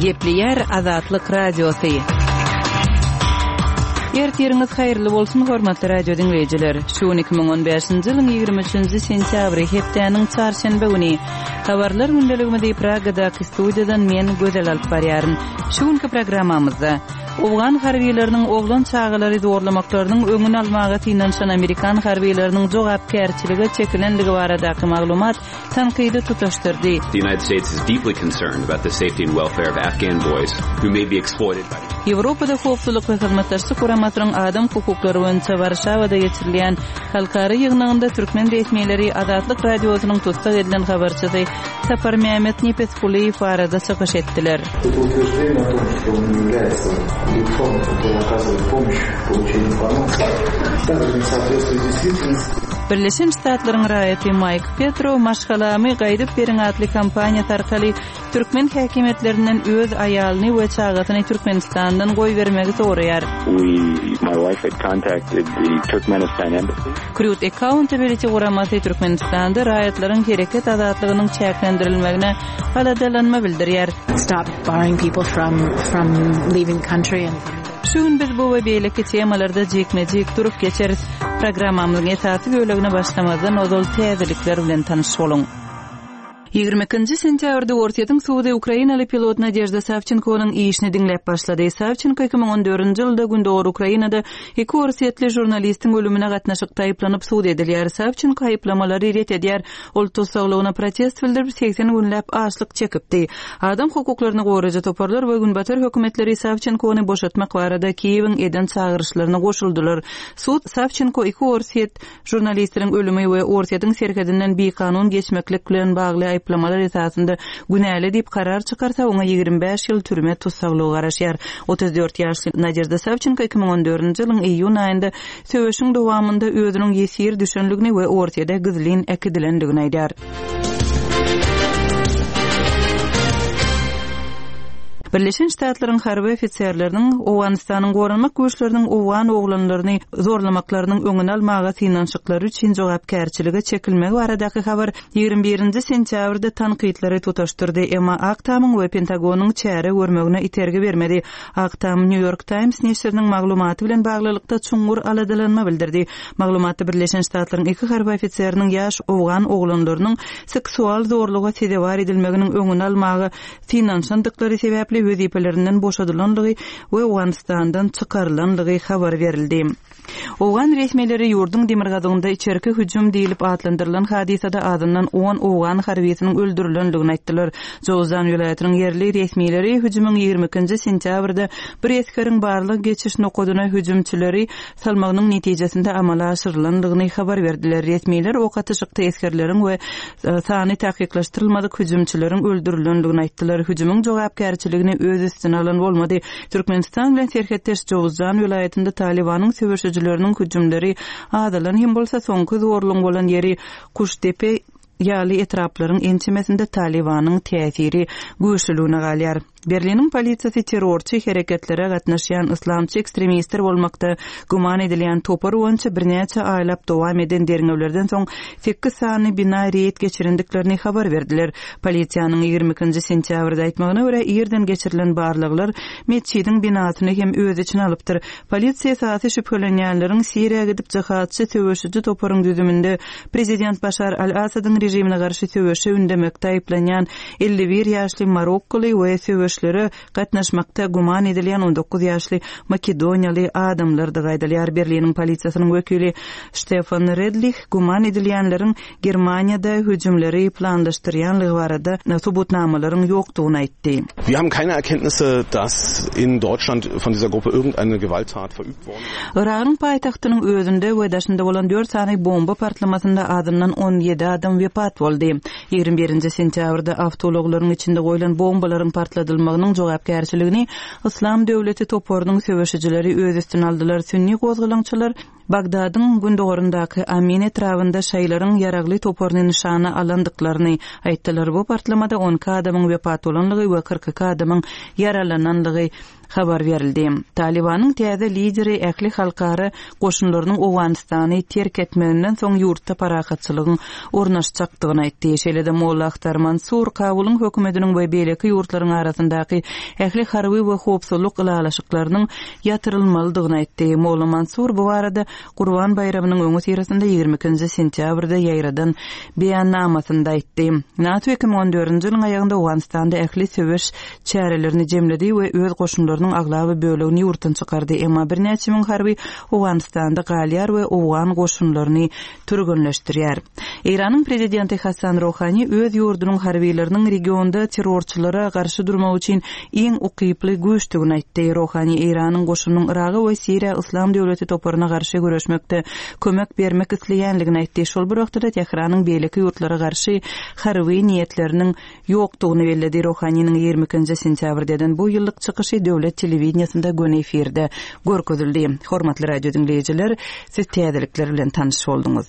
Gepleýär Azatlyk Radiosy. Ertiriňiz haýyrly bolsun, hormatly radio diňleýjiler! Şu gün 2015-nji ýylyň 23-nji sentýabry, hepdäniň çarşenbe güni. Habarlar gündeligimizi Pragadaky studiýadan men, Gözel alyp barýaryn. Şu günki programmamyzda, Owgan harbylarynyň oglan çagalary zorlamaklarynyň öňüni almaga synanyşan amerikan harbylarynyň jogapkärçilige çekilenligi baradaky maglumat tankydy tutaşdyrdy. The United States is deeply concerned about the safety and welfare of Afghan boys who may be exploited by. Ýewropada Howpsuzlyk we Hyzmatdaşlyk Guramasynyň adam hukuklary boýunça Warşawada geçirilýän halkara ýygnagynda türkmen resmileri Azatlyk Radiosynyň tussag edilen habarçysy Saparmämmet Nepesgulyýew barada çykyş etdiler. Birleşen Ştatlaryň raýaty Maýk Petro Maşgalamy gaýdyp beriň atly kampaniýasy arkaly türkmen häkimiýetlerinden öz aýalyny we çagasyny Türkmenistandan goýbermegi soraýar. Krut Accountability guramasy Türkmenistanda raýatlaryň hereket azatlygynyň çäklendirilmegine aladalanma bildirýär. Şu gün biz bu we beýleki temalarda jikme-jik durup geçeris. Programmamyzyň esasy bölegine başlamazdan ozal täzelikler bilen tanyş boluň. 22-nji sentýabrda Orsýetiň sudy ukrainaly pilot Nadežda Sawçenkonyň işini diňläp başlady. Sawçenko 2014-nji ýylda gündogar Ukrainada iki orsýetli žurnalistiň ölümine gatnaşykda aýyplanyp sud edilýär. Sawçenko aýyplamalary ret edýär. Ol tussaglygyna protest bildirip, 80 günläp açlyk çekipdi. Adam hukuklaryny goraýjy toparlar we günbatar hökümetleri Sawçenkony boşatmak barada Kiýewiň eden çagyryşlaryna goşuldylar. Sud Sawçenko iki orsýet Žurnalistleriň ölümi we Orsýetiň serhedinden bikanun geçmeklik bilen bagly aýyplamalar esasynda günäli diýip karar çykarsa, oňa 25 ýyl türme tussaglygy garaşýar. 34 ýaşly Nadežda Sawçenko 2014-nji ýylyň iýun aýynda söweşiň dowamynda özüniň ýesir düşenligini we Orsýede gizlin äkidilendigini aýdýar. Birleşen Ştatlaryň harby ofiserleriniň Owganystanyň goranmak güýçleriniň owgan oglanlaryny zorlamaklarynyň öňüni almaga synanyşyklary üçin jogapkärçilige çekilmegi baradaky habar 21-nji sentýabrda tankytlary tutaşdyrdy, emma Ak Tamyň we Pentagonyň çäre görmegine itergi bermedi. Ak Tam New York Times neşiriniň maglumaty bilen baglylykda çuňňur aladalanma bildirdi. Maglumatda Birleşen Ştatlaryň iki harby ofiseriniň ýaş owgan oglanlarynyň seksual zorluga sezewar edilmeginiň öňüni almaga synanyşandyklary sebäpli wezipelerinden boşadylandygy we Owganystandan çykarylandygy habar berildi. Owgan resmileri ýurduň demirgazygynda içerki hüjüm diýlip atlandyrylan hadysada azyndan on owgan harbysynyň öldürilendigini aýtdylar. Jowzjan welaýatynyň ýerli resmileri hüjümiň 22-nji sentýabrda bir esgeriň barlag geçiş nokadyna hüjümçileri salmagynyň netijesinde amala aşyrylandygyny habar berdiler. Resmiler ok atyşykda esgerleriň we sany takyklaşdyrylmadyk hüjümçileriň öldürilendigini aýtdylar. Hüjümiň jogapkärçiligini öz üstüne alan bolmady. Türkmenistan bilen serhetdeş Jowuzjan welaýatynda Talybanyň söweşijileriniň hüjümleri azalan hem bolsa, soňky zorlugyň bolan ýeri Kuştepe ýaly etraplaryň ençemesinde Talybanyň täsiri güýçlüligine galýar. Berliniň polisiýasy terrorçy hereketlere gatnaşýan yslamçy ekstremistler bolmakda güman edilýän topar boýunça birnäçe aýlap dowam eden derňewlerden soň sekiz sany bina reýd geçirendiklerini habar berdiler. Polisiýanyň 22-nji sentýabrda aýtmagyna görä, irden geçirilen barlaglar metjidiň binasyny hem öz içine alypdyr. Polisiýa esasy şübhelenýänleriň Siriýa gidip jihadçy söweşiji toparyň düzüminde prezident Başar al-Asadyň režimine garşy söweşe ündemekde aýyplanýan 51 ýaşly marokkoly we söweşlere gatnaşmakda güman edilýän 19 ýaşly makedoniýaly adamlardygy aýdylýar. Berliniň polisiýasynyň wekili Ştefan Redlih güman edilýänleriň Germaniýada hüjümleri planlaşdyrýanlygy barada subutnamalaryň ýokdugyny aýtdy. Wir haben keine Erkenntnisse, dass in Deutschland von dieser Gruppe irgendeine Gewalttat verübt worden wäre. Yragyň paýtagtynyň özünde we daşynda bolan dört sany bomba partlamasynda azyndan 17 adam wepat boldy. 21-nji sentýabrda awtoulaglaryň içinde goýlan bombalaryň partladylmagynyň jogapkärçiligini Yslam döwleti toparynyň söweşijileri öz üstüne aldylar. Sünni gozgalaňçylar. Bagdadyň gündogaryndaky Amin etrabynda şaýylaryň ýaragly toparyny nyşana alandyklaryny aýtdylar. Bu partlamada 12 adamyň wepat bolanlygy we 42 adamyň ýaralananlygy habar berildi. Talybanyň täze lideri ähli halkara goşunlarynyň Owganystany terk etmeginden soň ýurtda parahatçylygyň ornaşjakdygyny aýtdy. Şeýle-de Molla Ahtar Mansur Kabulyň hökümetiniň we beýleki ýurtlaryň arasyndaky ähli harby we howpsuzlyk ylalaşyklarynyň ýatyrylmalydygyny aýtdy. Molla Mansur bu barada Gurban baýramynyň öňüsyrasynda 22-nji sentýabrda ýaýradan beýannamasynda aýtdy. NATO 2014-nji ýylyň aýagynda Owganystanda ähli söweş çärelerini jemledi we öz goşunlarynyň aglaba bölegini ýurtdan çykardy, emma birnäçe müň harby Owganystanda galýar we owgan goşunlaryny türgenleşdirýär. Eýranyň prezidenti Hassan Rohani öz ýurdunyň harbylarynyň regionda terrorçylara garşy durmak üçin iň ukyply güýçdügini aýtdy. Rohani Eýranyň goşunynyň Yraga we Siriýa Yslam döwleti toparyna garşy göreşmekde kömek bermek isleýänligini aýtdy. Şol bir wagtda-da Tähranyň beýleki ýurtlara garşy harby niýetleriniň ýokdugyny belledi. Rohaniniň 22-nji sentýabrda eden bu ýyllyk çykyşy döwlet telewideniýesinde göni efirde görkezildi. Hormatly radio diňleýjiler, siz täzelikler bilen tanyş bolduňyz.